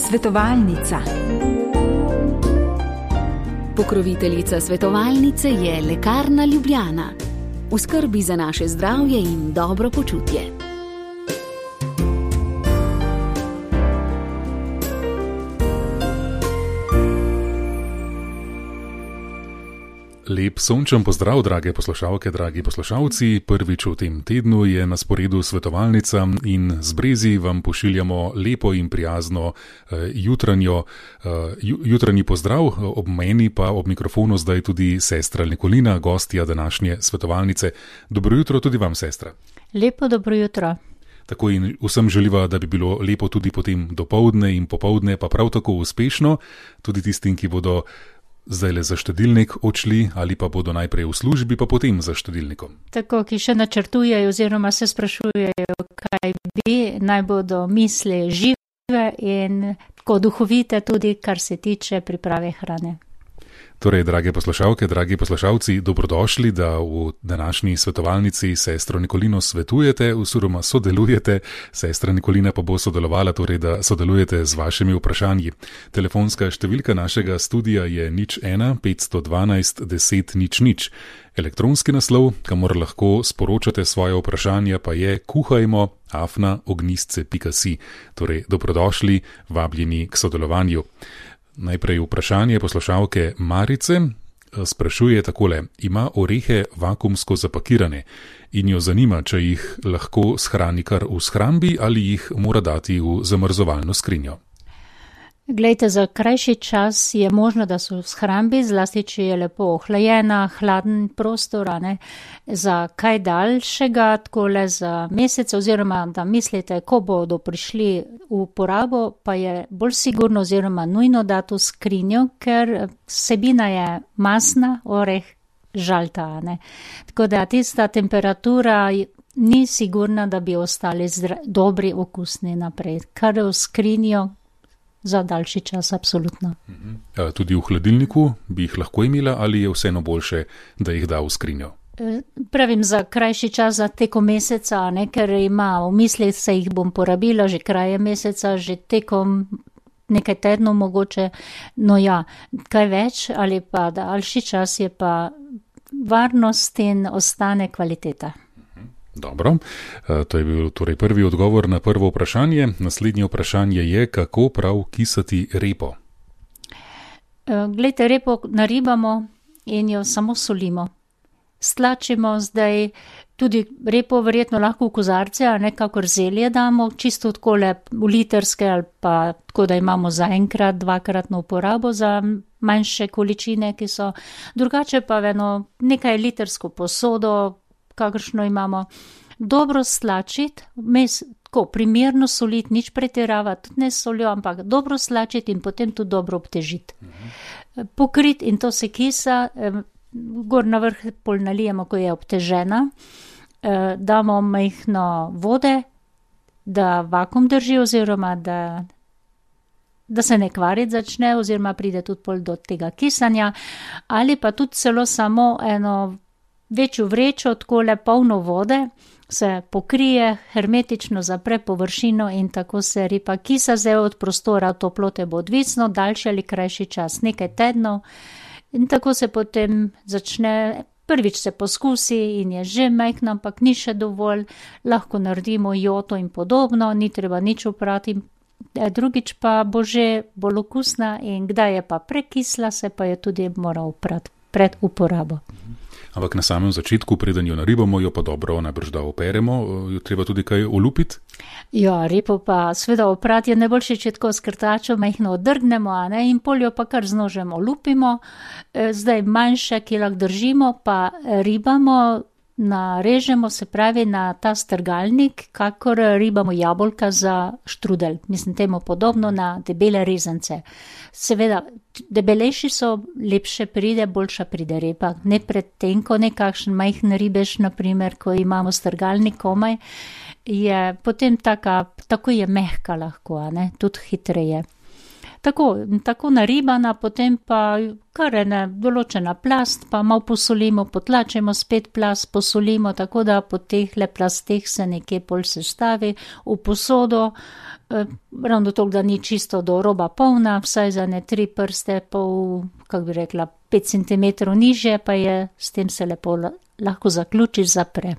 Svetovalnica. Pokroviteljica svetovalnice je Lekarna Ljubljana. V skrbi za naše zdravje in dobro počutje. Lep sončen pozdrav, drage poslušalke, dragi poslušalci. Prvič v tem tednu je na sporedu svetovalnica in z Brezi vam pošiljamo lepo in prijazno jutranji pozdrav. Ob meni pa ob mikrofonu zdaj tudi sestra Nikolina, gostja današnje svetovalnice. Dobro jutro tudi vam, sestra. Lepo dobro jutro. Tako in vsem želiva, da bi bilo lepo tudi potem dopoldne in popoldne, pa prav tako uspešno, tudi tistim, ki bodo zdajle za štedilnik odšli ali pa bodo najprej v službi, pa potem za štedilnikom. Tako, ki še načrtujejo oziroma se sprašujejo, kaj bi, naj bodo misli žive in tako duhovite tudi, kar se tiče priprave hrane. Torej, drage poslušalke, dragi poslušalci, dobrodošli, da v današnji svetovalnici sestro Nikolino svetujete oziroma sodelujete. Sestra Nikolina pa bo sodelovala, torej da sodelujete z vašimi vprašanji. Telefonska številka našega studia je 01 512 10 00. Elektronski naslov, kamor lahko sporočate svoje vprašanja, pa je kuhajmo@ognistce.si. Torej, dobrodošli, vabljeni k sodelovanju. Najprej vprašanje poslušalke Marice sprašuje takole: ima orehe vakuumsko zapakirane in jo zanima, če jih lahko shrani kar v shrambi ali jih mora dati v zamrzovalno skrinjo. Glejte, za krajši čas je možno, da so v shrambi, zlasti če je lepo ohlajena, hladen prostor, za kaj daljšega, takole za mesec, oziroma da mislite, ko bodo prišli v uporabo, pa je bolj sigurno oziroma nujno dati v skrinjo, ker vsebina je masna, oreh, žalta. Tako da tista temperatura ni sigurna, da bi ostali dobri, okusni naprej. Kar v skrinjo za daljši čas, absolutno. Tudi v hladilniku bi jih lahko imela ali je vseeno boljše, da jih da v skrinjo? Pravim, za krajši čas, za tekom meseca, ker ima v mislih, se jih bom porabila že kraje meseca, že tekom nekaj tednov mogoče, no ja, kaj več ali pa daljši čas je pa varnost in ostane kvaliteta. Dobro, to je bil torej prvi odgovor na prvo vprašanje. Naslednje vprašanje je, kako prav kisati repo. Glejte, repo naribamo in jo samo solimo. Stlačimo zdaj tudi repo verjetno lahko v kozarce, a nekakor zelje damo, čisto takole v litrske ali pa tako, da imamo za enkrat, dvakratno uporabo za manjše količine, ki so drugače pa nekaj litrsko posodo, kakršno imamo, dobro stlačiti, tako primerno soliti, nič pretiravati, tudi ne soljo, ampak dobro stlačiti in potem tudi dobro obtežiti. Pokriti in to se kisa, gor na vrh pol nalijemo, ko je obtežena, damo majhno vode, da vakuum drži oziroma da se ne kvariti začne oziroma pride tudi pol do tega kisanja, ali pa tudi celo samo eno večjo vrečo, takole polno vode, se pokrije, hermetično zapre površino in tako se repa kisa. Zdaj od prostora toplote bo odvisno, daljši ali krajši čas, nekaj tednov in tako se potem začne, prvič se poskusi in je že majhno, ampak ni še dovolj, lahko naredimo joto in podobno, ni treba nič oprati, drugič pa bo že bolj okusna in kdaj je pa prekisla, se pa je tudi mora oprati pred uporabo. Ampak na samem začetku, preden jo naribamo, jo pa dobro najbrž da operemo, jo treba tudi kaj olupiti? Ja, repo pa seveda oprati je najboljše, če tako s krtačo majhno odrgnemo, in pol jo pa kar z nožem olupimo, zdaj manjše, ki lahko držimo, pa ribamo, narežemo, se pravi na ta strgalnik, kakor ribamo jabolka za štrudelj, mislim temu podobno, na debele rezance. Seveda, debelejši so, lepše pride, boljša pride repa, ne predtenko, nekakšen majhen ribež, naprimer, ko imamo strgalnik komaj, je potem tako je mehka lahko, tudi hitreje. Tako naribana, potem pa kar ena določena plast, pa malo posolimo, potlačimo spet plast, posolimo, tako da po teh le plasteh se nekje pol sestavi v posodo, ravno toliko, da ni čisto do roba polna, vsaj za ne 3 prste, pol, kako bi rekla, 5 cm nižje, pa je, s tem se lepo lahko zaključi, zapre.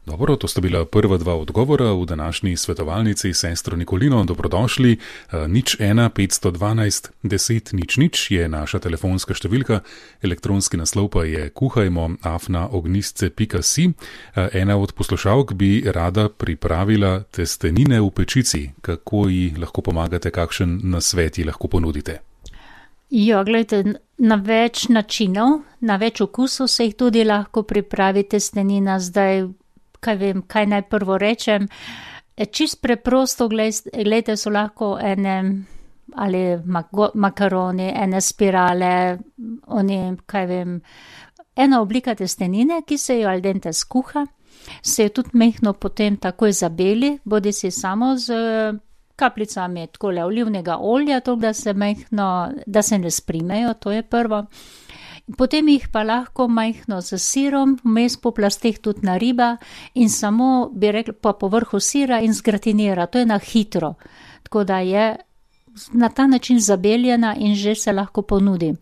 Dobro, to sta bila prva 2 odgovora v današnji svetovalnici Sestro Nikolino. Dobrodošli. 01 512 10 00 je naša telefonska številka, elektronski naslov pa je kuhajmo@ognistce.si. Ena od poslušalk bi rada pripravila testenine v pečici. Kako ji lahko pomagate, kakšen nasvet ji lahko ponudite? Ja, gledajte, na več načinov, na več okusov se jih tudi lahko pripravi testenina. Zdaj, kaj naj prvo rečem, čist preprosto, gledajte, so lahko ene ali makaroni, ene spirale, ena oblika testenine, ki se jo al dente skuha, se jo tudi mehno potem takoj zabeli, bodi si samo z kapljicami takole olivnega olja, to, da se mehno, da se ne sprimejo, to je prvo. Potem jih pa lahko majhno z sirom, vmes po plasteh tudi nariba in samo, bi rekla, po povrhu sira in zgratinira, to je na hitro, tako da je na ta način zabeljena in že se lahko ponudi.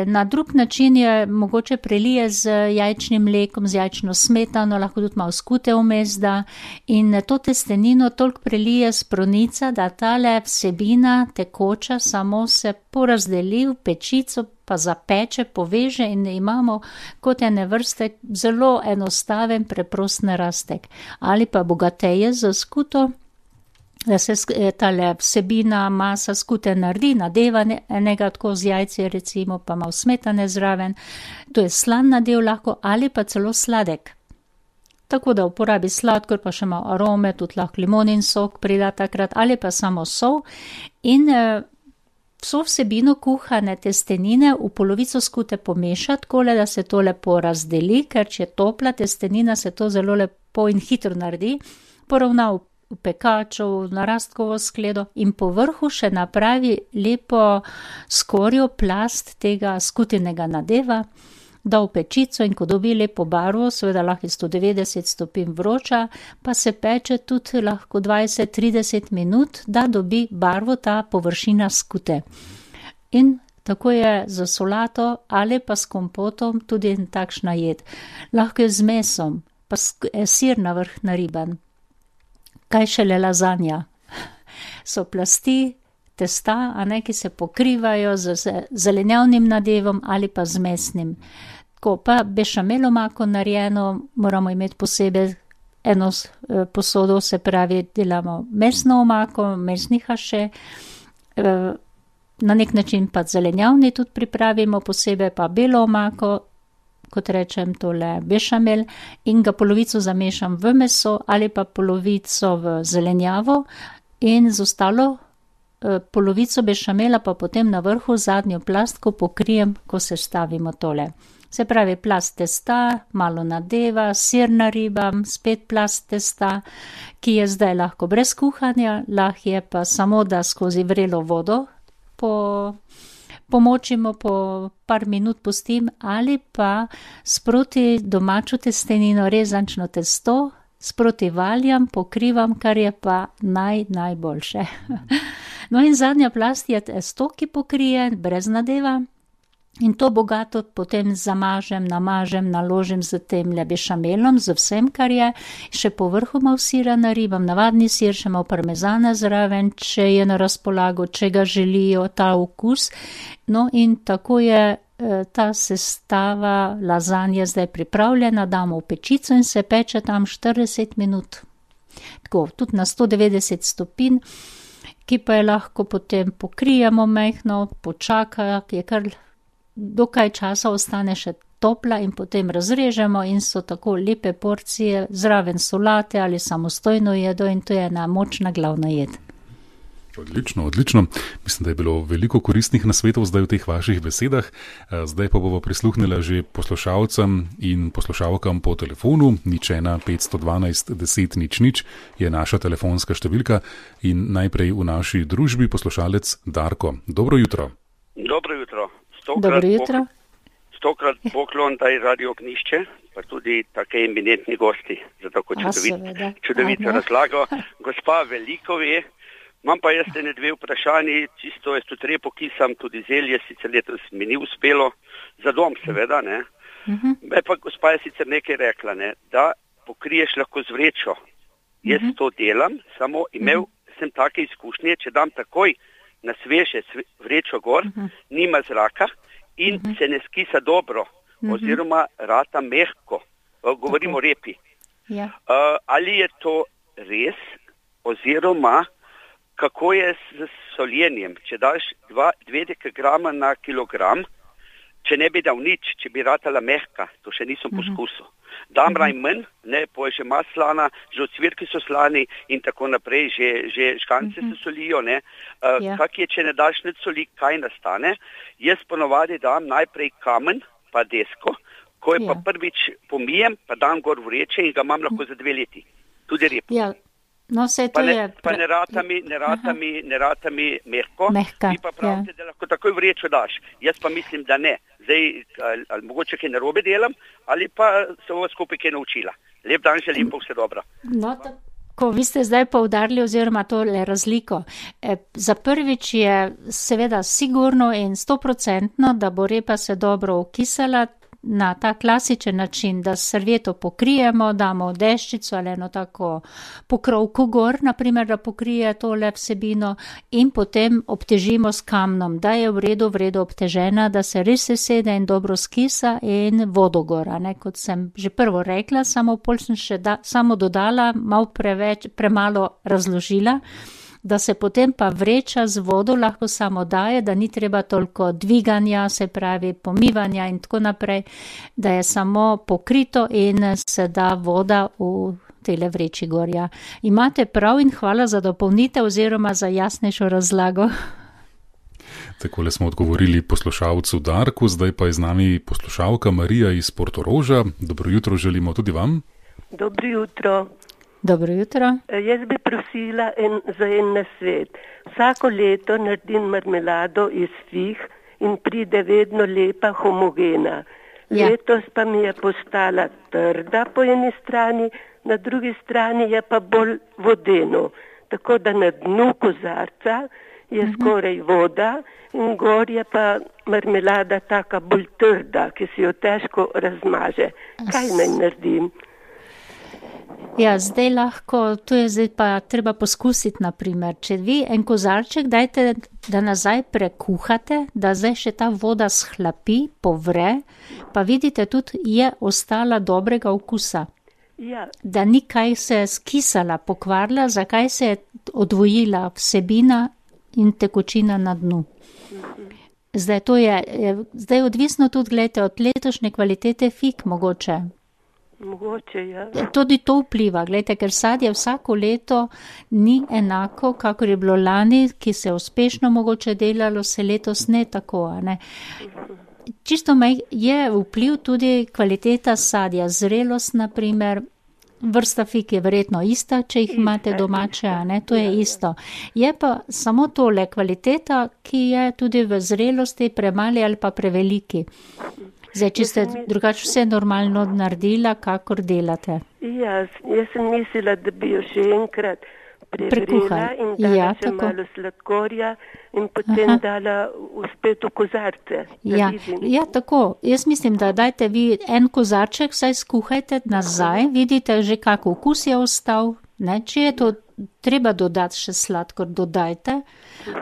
Na drug način je mogoče prelije z jajčnim mlekom, z jajčno smetano, lahko tudi malo skute vmes da in to testenino toliko prelije s pronica, da tale vsebina tekoča samo se porazdeli v pečico, pa zapeče, poveže in imamo kot ene vrste zelo enostaven, preprost narastek. Ali pa bogateje z skuto, da se tale vsebina, masa skute naredi, nadeva enega tako z jajci, recimo, pa malo smetane zraven. To je slan nadev lahko ali pa celo sladek. Tako da uporabi sladkor, pa še malo arome, tudi lahko limonin sok prida takrat, ali pa samo sol in vso vsebino kuhane testenine v polovico skute pomeša, takole, da se to lepo razdeli, ker če je topla testenina, se to zelo lepo in hitro naredi, poravna v pekaču, v narastkovo skledo in po vrhu še napravi lepo skorjo plast tega skutenega nadeva, da v pečico in ko dobi lepo barvo, seveda lahko je 190 stopinj vroča, pa se peče tudi lahko 20-30 minut, da dobi barvo ta površina skute. In tako je za solato ali pa s kompotom tudi takšna jed. Lahko je z mesom, pa sir na vrh nariban. Kaj šele lazanja. So plasti testa, ki se pokrivajo z zelenjavnim nadevom ali pa z mesnim. Tako pa bešamel omako narejeno, moramo imeti posebej eno posodo, se pravi, delamo mesno omako, mesni haše, na nek način pa zelenjavni tudi pripravimo, posebej pa belo omako, kot rečem, tole bešamel in ga polovico zamešam v meso ali pa polovico v zelenjavo in z ostalo polovico bešamela pa potem na vrhu zadnjo plastko pokrijem, ko se stavimo tole. Se pravi, plast testa, malo nadeva, sir naribam, spet plast testa, ki je zdaj lahko brez kuhanja, lahko je pa samo, da skozi vrelo vodo pomočimo, po par minut pustim ali pa sproti domačo testenino, rezančno testo, sproti valjam, pokrivam, kar je pa najboljše. No in zadnja plast je testo, ki pokrije brez nadeva in to bogato potem zamažem, namažem, naložim z tem bešamelom, z vsem, kar je, še po vrhu malo sira naribam, navadni sir, še malo parmezana zraven, če je na razpolago, če ga želijo, ta okus. No in tako je ta sestava lazanje zdaj pripravljena, damo v pečico in se peče tam 40 minut. Tako, tudi na 190 stopinj, ki pa je lahko potem pokrijemo mehno, počaka, je kar dokaj časa ostane še topla in potem razrežemo in so tako lepe porcije, zraven solate ali samostojno jedo in to je ena močna glavna jed. Odlično, odlično. Mislim, da je bilo veliko koristnih nasvetov zdaj v teh vaših besedah. Zdaj pa bomo prisluhnila že poslušalcem in poslušalkam po telefonu. 01 512 10 00 je naša telefonska številka in najprej v naši družbi poslušalec Darko. Dobro jutro. Dobro jutro. Dobro jutro. Stokrat poklon daj Radio Ognišče, pa tudi take eminentni gosti za tako čudovito razlago. Gospa veliko ve. Imam pa jaz ene dve vprašanji, čisto jaz tudi repo kisam, tudi zelje, sicer letos mi ni uspelo, za dom seveda, ne. Pa gospa je sicer nekaj rekla, ne, da pokriješ lahko z vrečo. Jaz to delam, samo imel sem take izkušnje, če dam takoj na sveže vrečo gor, nima zraka in se ne skisa dobro, oziroma rata mehko, govorimo o repi. Ja. Ali je to res, oziroma kako je s soljenjem, če daš 2 dekagrama na kilogram, če ne bi dal nič, če bi ratala mehka, to še nisem poskusil. Dam najmanj, ne, pa je že maslana, že ocvirki so slani in tako naprej, že škance se solijo, ne. Kak je, če ne daš nič soli, kaj nastane? Jaz ponovadi dam najprej kamen, pa desko, ko je pa prvič pomijem, pa dam gor vreče in ga imam lahko za 2 leti. Tudi rep. Ja. No, pa ne rata mi mehko, vi pa pravite, da lahko takoj vrečo daš. Jaz pa mislim, da ne. Zdaj, ali mogoče kaj narobe delam, ali pa se ovo skupaj kaj naučila. Lep dan želim, pa vse dobro. No, tako vi ste zdaj poudarili oziroma tole razliko. Za prvič je seveda sigurno in 100%, da bo repa se dobro okisala, na ta klasičen način, da servieto pokrijemo, damo deščico ali eno tako pokrovko gor, naprimer, da pokrije tole vsebino in potem obtežimo s kamnom, da je v redu obtežena, da se res sesede in dobro skisa in vodo gora, ne, kot sem že prvo rekla, samo pol sem še samo dodala, malo premalo razložila, da se potem pa vreča z vodo lahko samo daje, da ni treba toliko dviganja, se pravi pomivanja in tako naprej, da je samo pokrito in se da voda v tele vreči gorja. Imate prav in hvala za dopolnitev oziroma za jasnejšo razlago. Takole smo odgovorili poslušalcu Darku, zdaj pa je z nami poslušalka Marija iz Portoroža. Dobro jutro želimo tudi vam. Dobro jutro. Dobro jutro. Jaz bi prosila za en nasvet. Vsako leto naredim marmelado iz fig in pride vedno lepa, homogena. Ja. Letos pa mi je postala trda po eni strani, na drugi strani je pa bolj vodeno. Tako da na dnu kozarca je skoraj voda in gor je pa marmelada taka bolj trda, ki si jo težko razmaže. Kaj naj naredim? Ja, zdaj lahko, to je zdaj pa treba poskusiti, naprimer, če vi en kozarček dajte, da nazaj prekuhate, da zdaj še ta voda shlapi, povre, pa vidite tudi je ostala dobrega okusa. Ja. Da ni kaj se skisala, pokvarila, zakaj se je odvojila vsebina in tekočina na dnu. Zdaj to zdaj odvisno tudi, gledajte, od letošnje kvalitete fig mogoče. Mogoče, ja. Tudi to vpliva, gledajte, ker sadje vsako leto ni enako, kakor je bilo lani, ki se uspešno mogoče delalo, se letos ne tako, ne. Čisto je vpliv tudi kvaliteta sadja, zrelost, naprimer, vrsta fig je verjetno ista, če jih imate domače, ne, to je isto. Je pa samo tole kvaliteta, ki je tudi v zrelosti premali ali pa preveliki. Zdaj, če ste drugače vse normalno naredila, kakor delate. Ja, jaz sem mislila, da bi jo še enkrat prevrela in dala še malo sladkorja in potem dala spet v kozarce. Ja, tako. Jaz mislim, da dajte vi en kozarček, saj skuhajte nazaj, vidite že kak okus je ostal, ne, če je to treba dodati še sladkor, dodajte,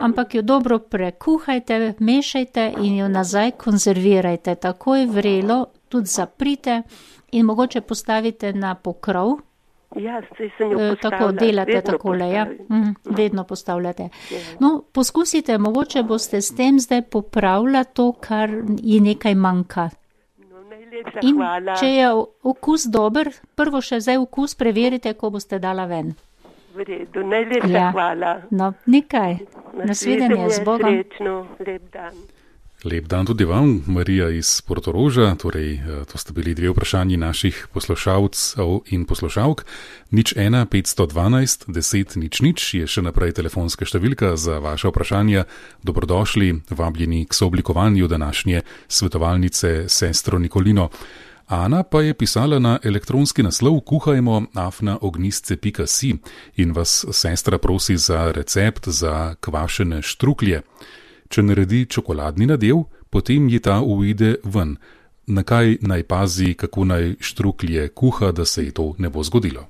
ampak jo dobro prekuhajte, mešajte in jo nazaj konzervirajte. Takoj vrelo, tudi zaprite in mogoče postavite na pokrov. Ja, saj sem jo postavila. Tako delate takole, ja. Vedno postavljate. No, poskusite, mogoče boste s tem zdaj popravila to, kar ji nekaj manjka. In če je okus dober, prvo še zdaj okus preverite, ko boste dala ven. V redu, najlepša hvala. No, nikaj. Nasvidenje, z Bogom. Srečno, lep dan. Lep dan tudi vam, Marija iz Portoroža. Torej, to sta bili dve vprašanji naših poslušalcev in poslušalk. 01 512 10 00 je še naprej telefonska številka za vaše vprašanja. Dobrodošli, vabljeni k sooblikovanju današnje svetovalnice Sestro Nikolino. Ana pa je pisala na elektronski naslov kuhajmo@ognistce.si in vas sestra prosi za recept za kvašene štruklje. Če naredi čokoladni nadev, potem ji ta uide ven. Na kaj naj pazi, kako naj štruklje kuha, da se ji to ne bo zgodilo?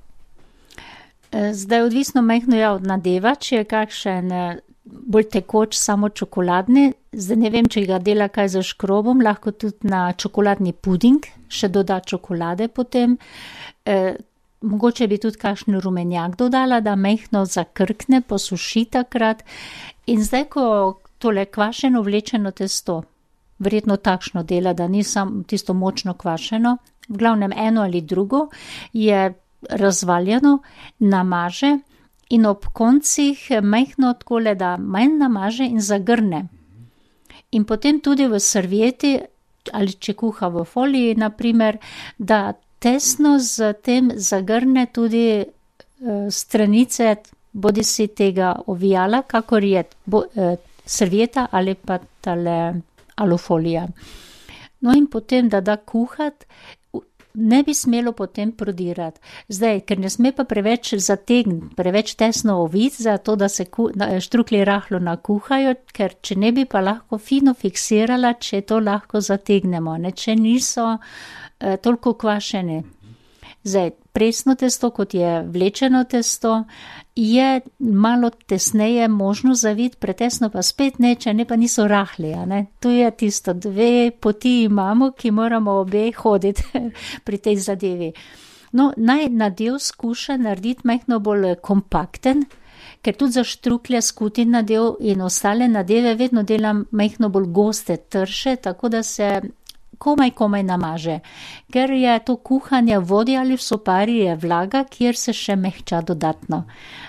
Zdaj odvisno majhno od nadeva, če je kakšen bolj tekoč samo čokoladni. Zdaj ne vem, če ga dela kaj za škrobom, lahko tudi na čokoladni puding, še doda čokolade potem. Mogoče bi tudi kakšen rumenjak dodala, da majhno zakrkne, posuši takrat. In zdaj, ko tole kvašeno vlečeno testo, verjetno takšno dela, da ni samo tisto močno kvašeno, v glavnem eno ali drugo, je razvaljeno, namaže in ob koncih majhno takole, da manj namaže in zagrne. In potem tudi v servieti, ali če kuha v foliji, naprimer, da tesno z tem zagrne tudi stranice, bodi si tega ovijala, kakor je servieta ali pa tale alufolija. No in potem, da kuhat, ne bi smelo potem prodirati. Zdaj, ker ne sme pa preveč zategniti, preveč tesno oviti, zato da se štruklje rahlo nakuhajo, ker če ne bi pa lahko fino fiksirala, če to lahko zategnemo, ne, če niso toliko kvašene. Zdaj, presno testo, kot je vlečeno testo, je malo tesneje možno zaviti, pretesno pa spet ne, če ne pa niso rahli. Ne? To je tisto, dve poti imamo, ki moramo obe hoditi pri tej zadevi. No, naj nadev skuša narediti majhno bolj kompakten, ker tudi za štruklje skuti nadev in ostale nadeve vedno delam majhno bolj goste, trše, tako da se komaj namaže, ker je to kuhanje v vodi ali v sopari je vlaga, kjer se še mehča dodatno.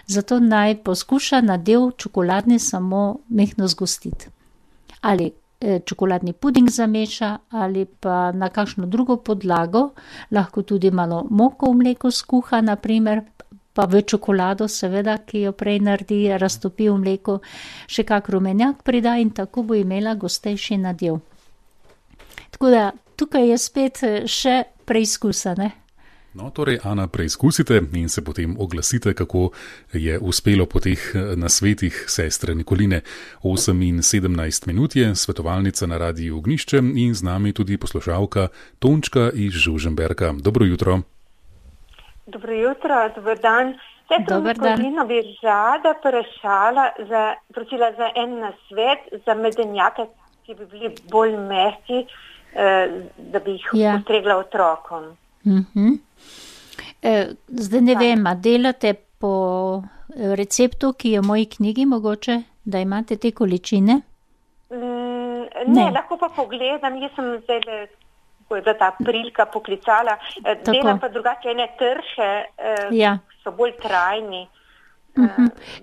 Zato naj poskuša nadev čokoladni samo mehno zgostiti. Ali čokoladni puding zameša, ali pa na kakšno drugo podlago, lahko tudi malo moko v mleko skuha, naprimer, pa v čokolado seveda, ki jo prej naredi, raztopi v mleko, še kak rumenjak prida in tako bo imela gostejši nadev. Tako da tukaj je spet še preizkusa, ne? No, torej, Ana, preizkusite in se potem oglasite, kako je uspelo po teh nasvetih sestre Nikoline. 8:17 je svetovalnica na Radiu Ognjišče in z nami tudi poslušalka Tončka iz Žužemberka. Dobro jutro. Dobro jutro, dober dan. Dober dan. Nikolino bi rada prosila za en nasvet za medenjake, ki bi bili bolj mehki, da bi jih ustregla otrokom. Zdaj ne vem, a delate po receptu, ki je v moji knjigi mogoče, da imate te količine? Ne, lahko pa pogledam, jaz sem zdaj, ko je bila ta prilika poklicala, delam pa drugače ene trše, so bolj trajni.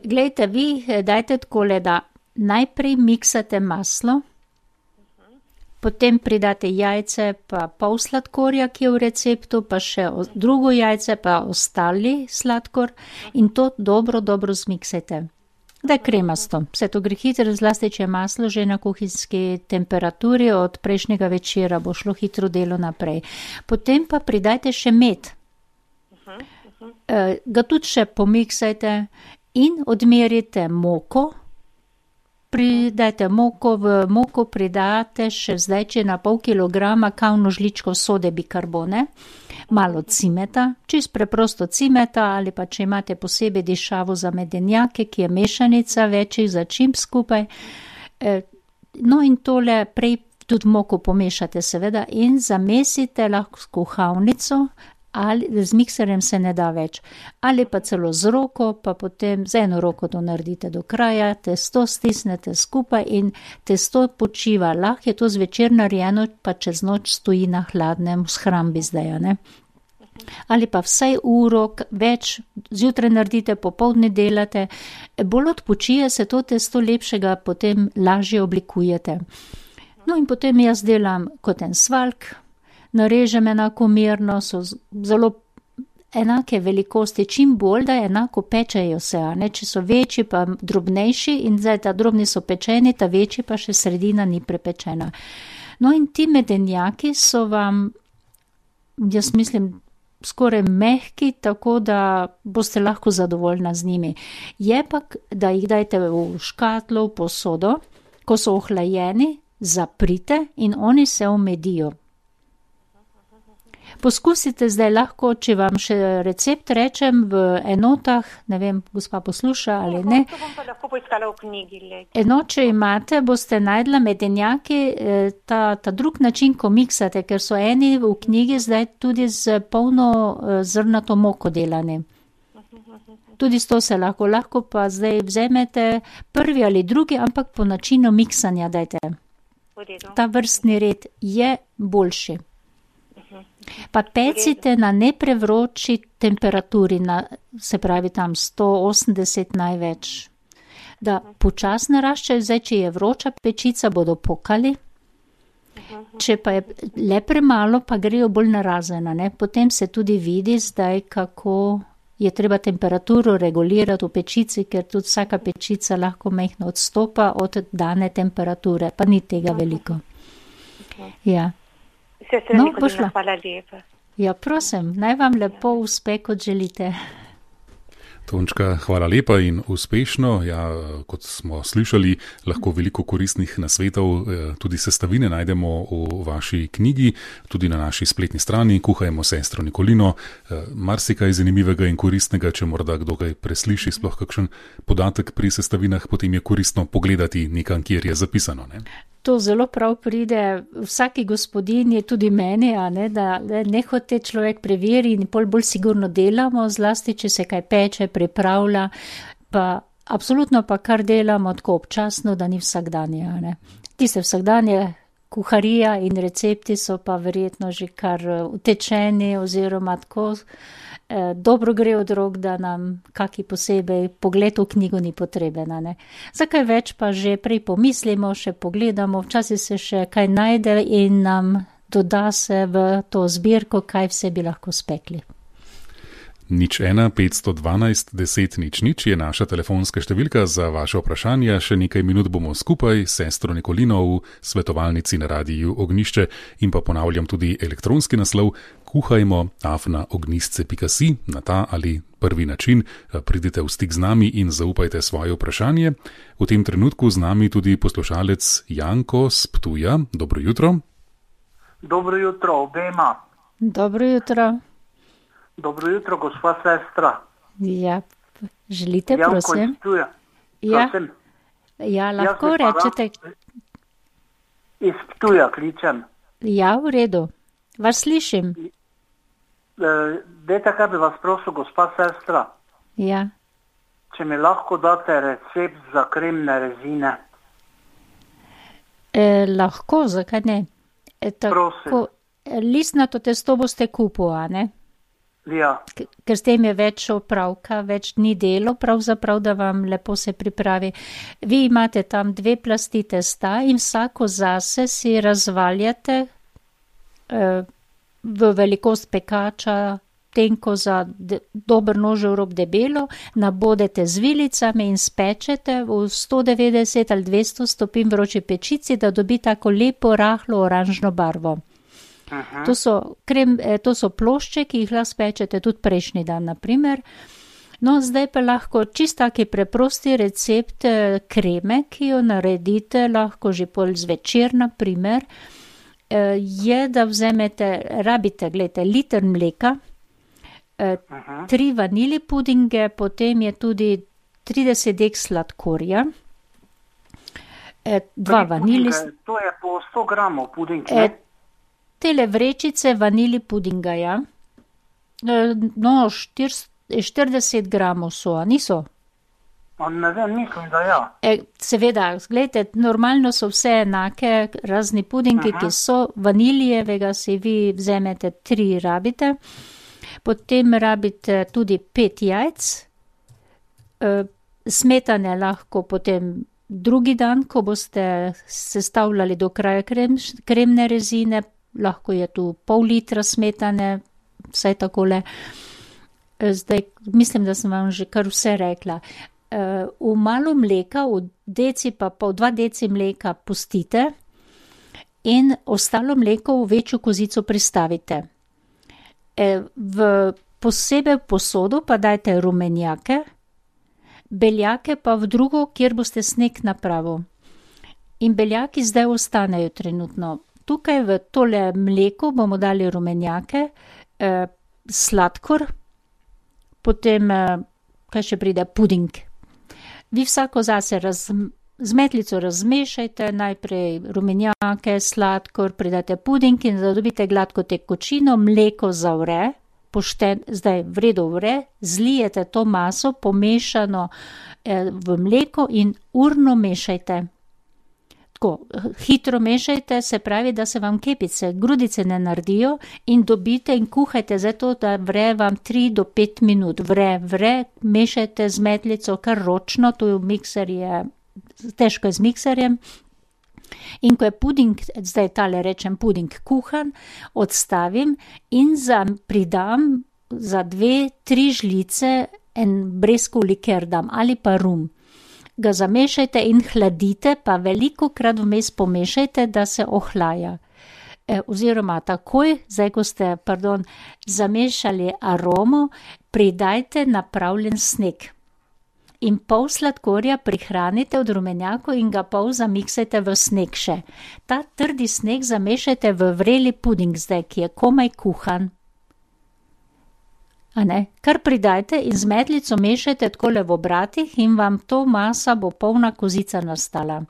Glejte, vi dajte takole, da najprej miksate maslo, potem pridate jajce, pa pol sladkorja, ki je v receptu, pa še drugo jajce, pa ostali sladkor in to dobro zmiksajte. Da je kremasto. Vse to gre hitro, zlasti če je maslo že na kuhinjski temperaturi, od prejšnjega večera bo šlo hitro delo naprej. Potem pa pridajte še med. Ga tudi še pomiksajte in odmerite moko. Pridajte moko, v moko pridate še zdaj, če na pol kilograma kavno žličko sode bikarbone, malo cimeta, čist preprosto cimeta ali pa če imate posebej dišavo za medenjake, ki je mešanica večjih začimb skupaj. No in tole prej tudi moko pomešate seveda in zamesite lahko s kuhalnico, ali z mikserjem se ne da več, ali pa celo z roko, pa potem z eno roko to naredite do kraja, testo stisnete skupaj in testo počiva. Lahko je to zvečer narejeno, pa čez noč stoji na hladnem v shrambi zdaj, ne? ali pa vsaj uro več, zjutraj naredite, popoldne delate, bolj odpočije se to testo, lepšega potem lažje oblikujete. No in potem jaz delam kot en svalk, narežem enakomerno, so zelo enake velikosti, čim bolj, da enako pečejo se, a ne, če so večji pa drobnejši in zdaj ta drobni so pečeni, ta večji pa še sredina ni prepečena. No in ti medenjaki so vam, jaz mislim, skoraj mehki, tako da boste lahko zadovoljna z njimi. Je pa, da jih dajte v škatlo, v posodo, ko so ohlajeni, zaprite in oni se omedijo. Poskusite zdaj lahko, če vam še recept rečem v enotah, ne vem, gospa posluša ali ne. To bom pa lahko poiskala v knjigi. Če imate, boste najdla medenjaki, ta drug način, ko miksate, ker so eni v knjigi zdaj tudi z polno zrnato moko delani. Tudi s to se lahko pa zdaj vzemete prvi ali drugi, ampak po načinu miksanja dajte. Ta vrstni red je boljši. Pa pecite na neprevroči temperaturi, se pravi tam 180 največ. Da počasno naraščajo, zdaj, če je vroča pečica, bodo pokali. Če pa je le premalo, pa grejo bolj narazena, ne? Potem se tudi vidi zdaj, kako je treba temperaturo regulirati v pečici, ker tudi vsaka pečica lahko majhno odstopa od dane temperature, pa ni tega veliko. Ja. Hvala lepa. Ja, prosim, naj vam lepo uspe, kot želite. Tončka, hvala lepa in uspešno. Ja, kot smo slišali, lahko veliko koristnih nasvetov, tudi sestavine najdemo v vaši knjigi, tudi na naši spletni strani Kuhajmo sestro Nikolino. Marsikaj zanimivega in koristnega, če morda kdo kaj presliši, sploh kakšen podatek pri sestavinah, potem je koristno pogledati nekam, kjer je zapisano, ne? To zelo prav pride vsaki gospodinji, tudi meni, da nehote človek preveri in bolj sigurno delamo, zlasti, če se kaj peče, pripravlja, pa absolutno pa kar delamo tako občasno, da ni vsakdanje. Tiste vsakdanje kuharija in recepti so pa verjetno že kar utečeni oziroma tako dobro gre od rok, da nam kaki posebej pogled v knjigo ni potreben. Zakaj več pa že prej pomislimo, še pogledamo, včasih se še kaj najde in nam doda se v to zbirko, kaj vse bi lahko spekli. 01 512 10 00 je naša telefonska številka za vaše vprašanja. Še nekaj minut bomo skupaj s sestro Nikolino v svetovalnici na Radiu Ognjišče in pa ponavljam tudi elektronski naslov kuhajmo@ognjisce.si. Na ta ali prvi način pridite v stik z nami in zaupajte svoje vprašanje. V tem trenutku z nami tudi poslušalec Janko z Ptuja. Dobro jutro. Dobro jutro obema. Dobro jutro. Dobro jutro, gospa sestra. Ja, želite, prosim? Ja, lahko rečete. Iz Ptuja kličem. Ja, v redu. Vas slišim. Dajte, kaj bi vas prosil, gospa sestra. Ja. Če mi lahko date recept za kremne rezine. Lahko, zakaj ne? Prosim. Listnato testo boste kupili, ne? Ja. Ker s tem je več opravka, več dni delo, pravzaprav, da vam lepo se pripravi. Vi imate tam 2 plasti testa in vsako zase si razvaljate v velikost pekača, tenko za dober nožev rob debelo, nabodete z vilicami in spečete v 190 ali 200 stopinj vroči pečici, da dobi tako lepo, rahlo oranžno barvo. To so plošče, ki jih lahko spečete tudi prejšnji dan, naprimer. No, zdaj pa lahko čisto taki preprosti recept kreme, ki jo naredite, lahko že pol zvečer, naprimer, je, da vzamete, rabite, gledajte, liter mleka, 3 vanili pudinge, potem je tudi 30 dek sladkorja, 2 vanili... To je po 100 gramov puding, ne? Tele vrečice vanili pudinga, ja. No, 40 gramov so, a niso? Ne vem, mislim, da ja. Seveda, gledajte, normalno so vse enake, razni pudingi, ki so vanilijevega, si vi vzemete 3 rabite. Potem rabite tudi 5 jajc, smetane lahko potem drugi dan, ko boste sestavljali do kraja kremne rezine, lahko je tu pol litra smetane, vsaj takole. Zdaj, mislim, da sem vam že kar vse rekla. V malo mleka, v deci pa pol 2 deci mleka pustite in ostalo mleko v večjo kozico pristavite. Posebej v posodo pa dajte rumenjake, beljake pa v drugo, kjer boste sneg napravil. In beljaki zdaj ostanejo trenutno. Tukaj v tole mleko bomo dali rumenjake, sladkor, potem, kaj še pride, puding. Vi vsako zase z metlico razmešajte, najprej rumenjake, sladkor, pridate puding in da dobite gladko tekočino, mleko zavre, zdaj v redu vre, zlijete to maso pomešano v mleko in urno mešajte. Tako, hitro mešajte, se pravi, da se vam kepice, grudice ne naredijo in dobite in kuhajte zato, da vre vam 3 do 5 minut. Vre, mešajte z metlico kar ročno, tu mikser je, težko je z mikserjem. In ko je puding, zdaj tale rečem puding kuhan, odstavim in pridam za 2-3 žlice en breskov liker dam ali pa rum. Ga zamešajte in hladite, pa velikokrat vmes pomešajte, da se ohlaja. Oziroma takoj, zdaj ko ste, zamešali aromo, pridajte napravljen sneg. In pol sladkorja prihranite od rumenjakov in ga pol zamiksajte v sneg še. Ta trdi sneg zamešajte v vreli puding zdaj, ki je komaj kuhan. Kar pridajte in z metlico mešajte takole v obratih in vam to masa bo polna kozica nastala.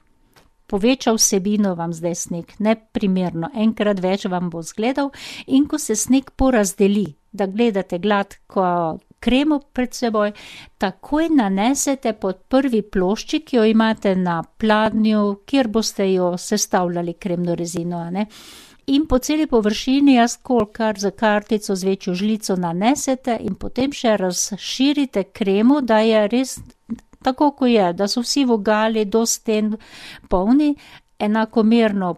Poveča vsebino vam zdaj sneg, neprimerno, enkrat več vam bo zgledal in ko se sneg porazdeli, da gledate gladko kremo pred seboj, takoj nanesete pod prvi ploščik, ki jo imate na pladnju, kjer boste jo sestavljali kremno rezino, In po celi površini kar za kartico z večjo žlico nanesete in potem še razširite kremo, da je res tako, ko je, da so vsi vogali do sten polni, enakomerno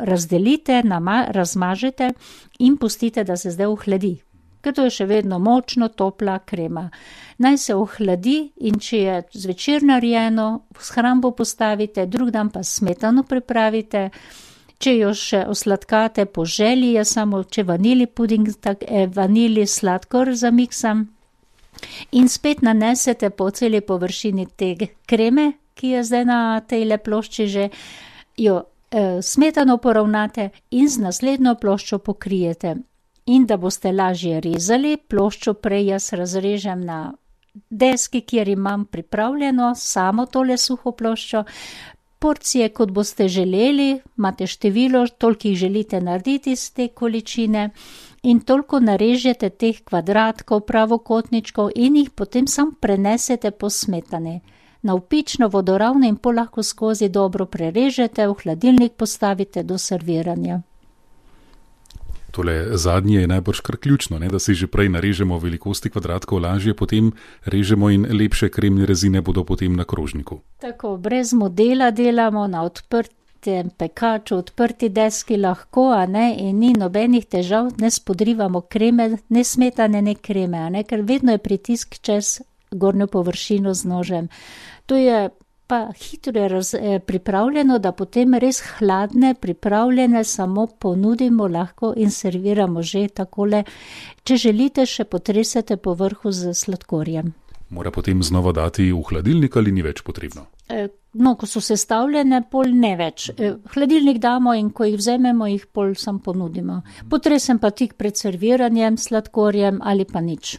razdelite, razmažete in pustite, da se zdaj ohladi. Ker to je še vedno močno topla krema. Naj se ohladi in če je zvečer narejeno, v shrambo postavite, drug dan pa smetano pripravite. Če jo še osladkate po želji, je samo, če vanili puding, vanili sladkor zamiksam. In spet nanesete po celi površini te kreme, ki je zdaj na tejle plošči že, jo smetano poravnate in z naslednjo ploščo pokrijete. In da boste lažje rezali, ploščo prej jaz razrežem na deski, kjer imam pripravljeno samo tole suho ploščo. Porcije, kot boste želeli, imate število, toliko jih želite narediti z te količine in toliko narežete teh kvadratkov, pravokotničkov in jih potem sam prenesete po smetani. Na vpično vodoravno in pol lahko skozi dobro prerežete, v hladilnik postavite do serviranja. Tole zadnje je najbrž kar ključno, da si že prej narežemo velikosti kvadratkov, lažje potem režemo in lepše kremne rezine bodo potem na krožniku. Tako, brez modela delamo na odprtem pekaču, odprti deski lahko, in ni nobenih težav, ne spodrivamo kreme, ne smetane, ne kreme, ker vedno je pritisk čez gornjo površino z nožem. To je pa hitro je pripravljeno, da potem res hladne, pripravljene samo ponudimo lahko in serviramo že takole. Če želite, še potresete po vrhu z sladkorjem. Mora potem znova dati v hladilnik ali ni več potrebno? Ko so sestavljene, pol ne več. Hladilnik damo in ko jih vzememo, jih pol sam ponudimo. Potresem pa tik pred serviranjem, sladkorjem ali pa nič.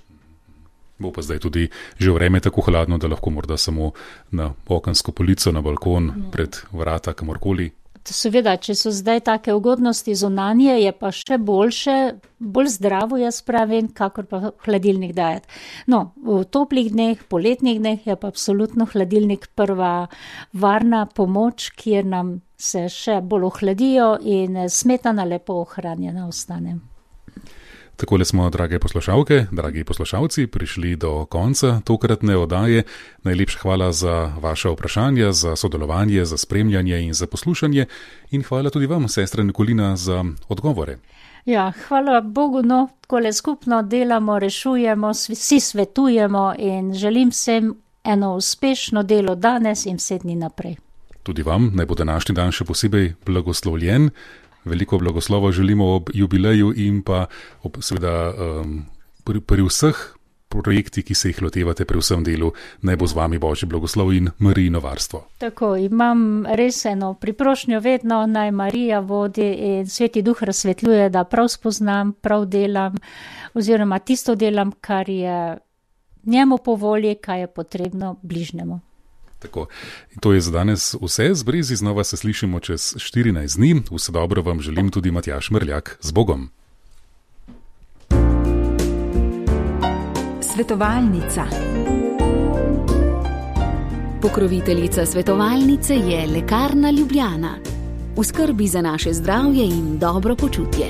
Bo pa zdaj tudi že vreme tako hladno, da lahko morda samo na okensko polico, na balkon, pred vrata, kamorkoli. Seveda, če so zdaj take ugodnosti zunanje, je pa še boljše, bolj zdravo jaz pravim, kakor pa hladilnik dajati. V toplih dneh, poletnih dneh je pa absolutno hladilnik prva varna pomoč, kjer nam se še bolj ohladijo in smetana lepo ohranjena ostane. Takole smo, drage poslušalke, dragi poslušalci, prišli do konca tokratne oddaje. Najlepša hvala za vaše vprašanja, za sodelovanje, za spremljanje in za poslušanje. In hvala tudi vam, sestra Nikolina, za odgovore. Ja, hvala Bogu, no, takole skupno delamo, rešujemo, vsi svetujemo in želim vsem eno uspešno delo danes in 7 dni naprej. Tudi vam naj bo današnji dan še posebej blagoslovljen. Veliko blagoslova želimo ob jubileju in pa seveda pri vseh projektih, ki se jih lotevate, pri vsem delu, naj bo z vami Božji blagoslov in Marijino varstvo. Tako, imam res eno priprošnjo vedno, naj Marija vodi in Sveti Duh razsvetljuje, da prav spoznam, prav delam, oziroma tisto delam, kar je njemu po volji, kaj je potrebno bližnjemu. Tako. In to je za danes vse. Z Brezi znova se slišimo čez 14 dni. Vse dobro vam želim tudi Matjaž Mrljak. Z Bogom. Svetovalnica. Pokroviteljica svetovalnice je Lekarna Ljubljana. V skrbi za naše zdravje in dobro počutje.